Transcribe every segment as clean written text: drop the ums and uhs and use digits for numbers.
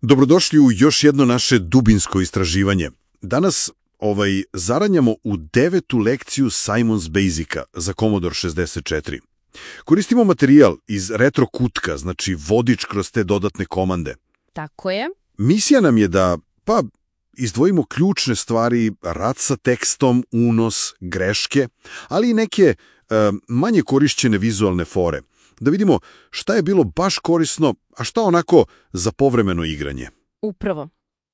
Dobrodošli u još jedno naše dubinsko istraživanje. Danas zaranjamo u 9. lekciju Simon's Basica za Commodore 64. Koristimo materijal iz retro kutka, znači vodič kroz te dodatne komande. Tako je. Misija nam je da, izdvojimo ključne stvari, rad sa tekstom, unos, greške, ali i neke manje korišćene vizualne fore. Da vidimo šta je bilo baš korisno, a šta onako za povremeno igranje. Upravo.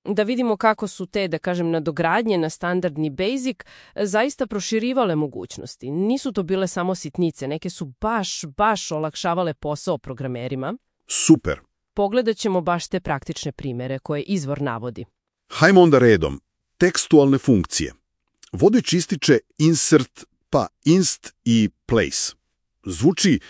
Da vidimo kako su te, da kažem, nadogradnje na standardni Basic zaista proširivale mogućnosti. Nisu to bile samo sitnice, neke su baš olakšavale posao programerima. Super. Pogledat ćemo baš te praktične primere koje izvor navodi. Hajmo onda redom. Tekstualne funkcije. Vodič ističe insert, inst i place. Zvuči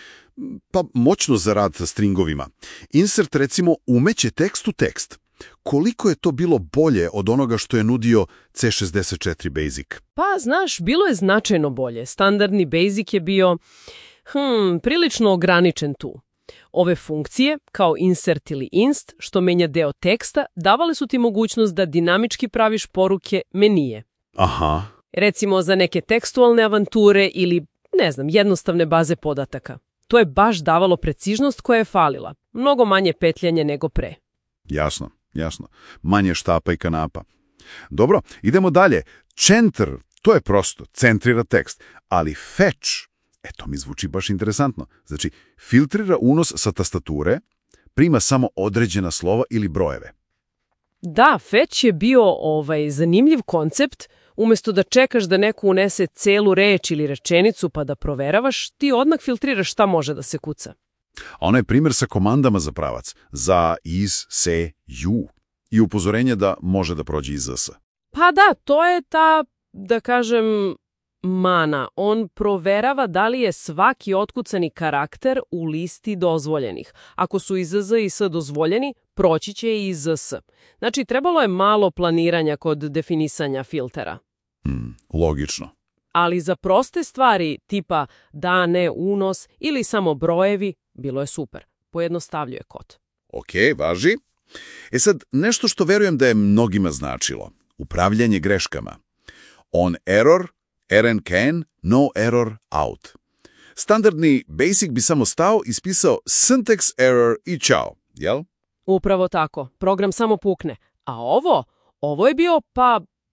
moćno za rad sa stringovima. Insert, recimo, umeće tekst u tekst. Koliko je to bilo bolje od onoga što je nudio C64 Basic? Znaš, bilo je značajno bolje. Standardni Basic je bio prilično ograničen tu. Ove funkcije, kao insert ili inst, što menja deo teksta, davale su ti mogućnost da dinamički praviš poruke menije. Aha. Recimo za neke tekstualne avanture ili, jednostavne baze podataka. To je baš davalo preciznost koja je falila. Mnogo manje petljanje nego pre. Jasno. Manje štapa i kanapa. Dobro, idemo dalje. Center, to je prosto, centrira tekst. Ali fetch, to mi zvuči baš interesantno. Znači, filtrira unos sa tastature, prima samo određena slova ili brojeve. Da, fetch je bio zanimljiv koncept. Umjesto da čekaš da neko unese celu reč ili rečenicu pa da proveravaš, ti odmah filtriraš šta može da se kuca. A ono je primjer sa komandama za pravac. Za, iz, se, ju. I upozorenje da može da prođe iz s. Da, to je ta, da kažem, mana. On proverava da li je svaki otkucani karakter u listi dozvoljenih. Ako su i z i s dozvoljeni, proći će i iz s. Znači, trebalo je malo planiranja kod definisanja filtera. Logično. Ali za proste stvari, tipa da, ne, unos ili samo brojevi, bilo je super. Pojednostavljuje kod. Ok, važi. Sad, nešto što verujem da je mnogima značilo. Upravljanje greškama. On error, error can, no error out. Standardni Basic bi samo stao i spisao syntax error i čao, jel? Upravo tako. Program samo pukne. A ovo je bio,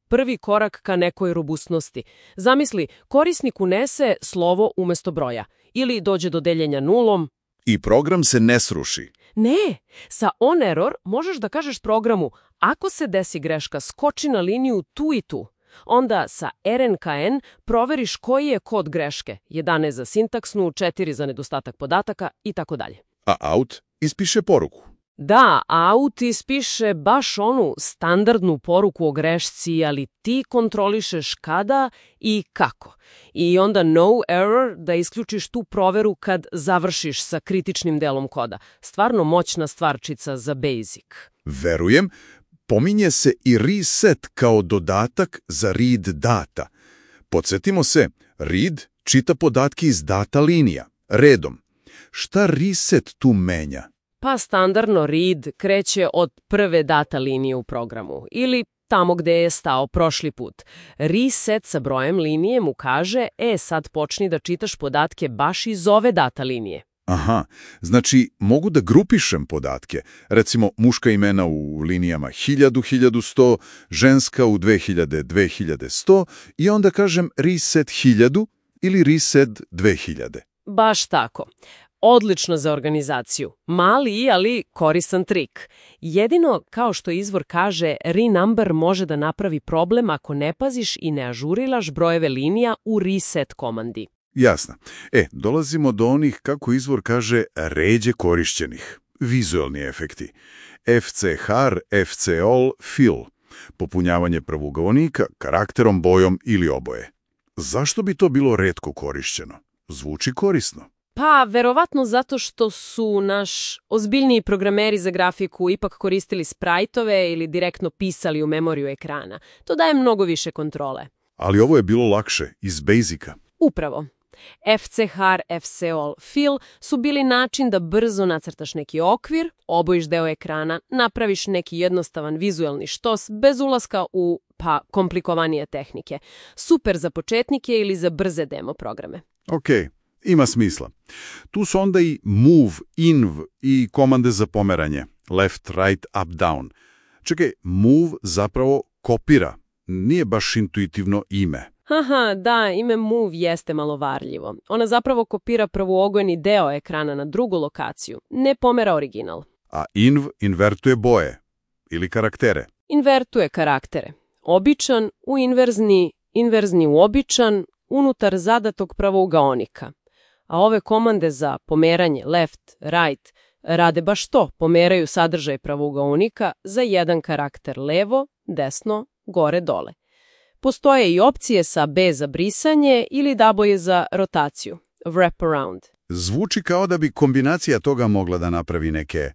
prvi korak ka nekoj robustnosti. Zamisli, korisnik unese slovo umjesto broja. Ili dođe do deljenja nulom. I program se ne sruši. Ne, sa on error možeš da kažeš programu, ako se desi greška, skoči na liniju tu i tu. Onda sa RNKN proveriš koji je kod greške. 11 za sintaksnu, 4 za nedostatak podataka i tako dalje. A out ispiše poruku. Da, out ispiše baš onu standardnu poruku o grešci, ali ti kontrolišeš kada i kako. I onda no error da isključiš tu proveru kad završiš sa kritičnim delom koda. Stvarno moćna stvarčica za Basic. Verujem, pominje se i reset kao dodatak za read data. Podsjetimo se, read čita podatke iz data linija, redom. Šta reset tu menja? Standardno read kreće od prve data linije u programu ili tamo gde je stao prošli put. Reset sa brojem linije mu kaže, sad počni da čitaš podatke baš iz ove data linije. Aha, znači mogu da grupišem podatke, recimo muška imena u linijama 1000, 1100, ženska u 2000, 2100 i onda kažem reset 1000 ili reset 2000. Baš tako. Odlično za organizaciju. Mali, ali koristan trik. Jedino, kao što izvor kaže, renumber može da napravi problem ako ne paziš i ne ažurilaš brojeve linija u reset komandi. Jasno. Dolazimo do onih, kako izvor kaže, ređe korišćenih. Vizualni efekti. FCHAR, FCOL, fill. Popunjavanje pravougaonika karakterom, bojom ili oboje. Zašto bi to bilo retko korišćeno? Zvuči korisno. Verovatno zato što su naš ozbiljniji programeri za grafiku ipak koristili sprajtove ili direktno pisali u memoriju ekrana. To daje mnogo više kontrole. Ali ovo je bilo lakše, iz Basica. Upravo. FCHAR, FCOL, fill su bili način da brzo nacrtaš neki okvir, obojiš deo ekrana, napraviš neki jednostavan vizuelni štos bez ulaska u komplikovanije tehnike. Super za početnike ili za brze demo programe. Ok, ima smisla. Tu su onda i move, inv i komande za pomeranje. Left, right, up, down. Čekaj, move zapravo kopira. Nije baš intuitivno ime. Haha, da, ime move jeste malo varljivo. Ona zapravo kopira prvoogojni deo ekrana na drugu lokaciju, ne pomera original. A inv invertuje boje ili karaktere. Invertuje karaktere. Običan u inverzni, inverzni u običan, unutar zadatog pravougaonika. A ove komande za pomeranje left, right rade baš to, pomeraju sadržaj pravougaonika za jedan karakter levo, desno, gore, dole. Postoje i opcije sa B za brisanje ili daboje za rotaciju, wrap around. Zvuči kao da bi kombinacija toga mogla da napravi neke,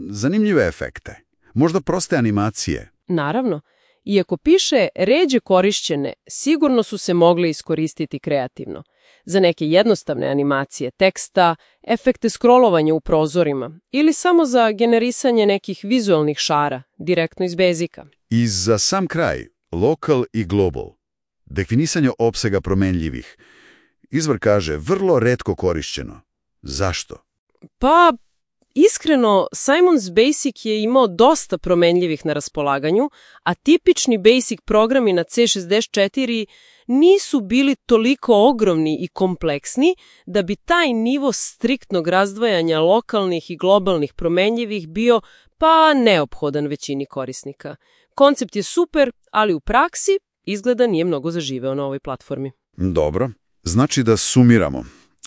zanimljive efekte. Možda proste animacije. Naravno, iako piše ređe korišćene, sigurno su se mogle iskoristiti kreativno. Za neke jednostavne animacije teksta, efekte scrollovanja u prozorima ili samo za generisanje nekih vizualnih šara, direktno iz Basica. I za sam kraj, local i global. Definisanje opsega promenljivih. Izvor kaže vrlo retko korišćeno. Zašto? Pa, iskreno, Simon's Basic je imao dosta promenljivih na raspolaganju, a tipični Basic programi na C64 nisu bili toliko ogromni i kompleksni da bi taj nivo striktnog razdvajanja lokalnih i globalnih promenljivih bio neophodan većini korisnika. Koncept je super, ali u praksi izgleda nije mnogo zaživeo na ovoj platformi. Dobro, znači da sumiramo.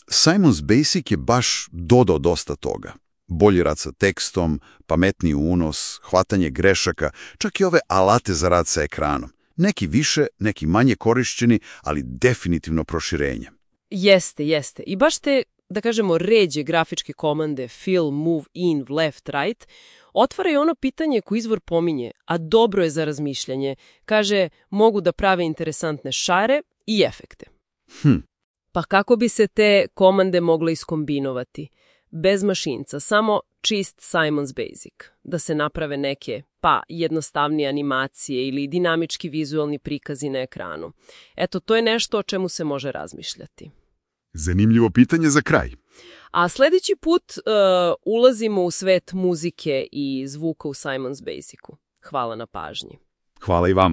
Simon's Basic je baš dodao dosta toga. Bolji rad sa tekstom, pametniji unos, hvatanje grešaka, čak i ove alate za rad sa ekranom. Neki više, neki manje korišćeni, ali definitivno proširenje. Jeste. I baš te, da kažemo, ređe grafičke komande fill, move, in, left, right, otvaraju ono pitanje koje izvor pominje, a dobro je za razmišljanje. Kaže, mogu da prave interesantne šare i efekte. Pa kako bi se te komande mogle iskombinovati? Bez mašinca, samo čist Simon's Basic. Da se naprave neke, jednostavnije animacije ili dinamički vizualni prikazi na ekranu. Eto, to je nešto o čemu se može razmišljati. Zanimljivo pitanje za kraj. A sljedeći put ulazimo u svet muzike i zvuka u Simon's Basicu. Hvala na pažnji. Hvala i vama.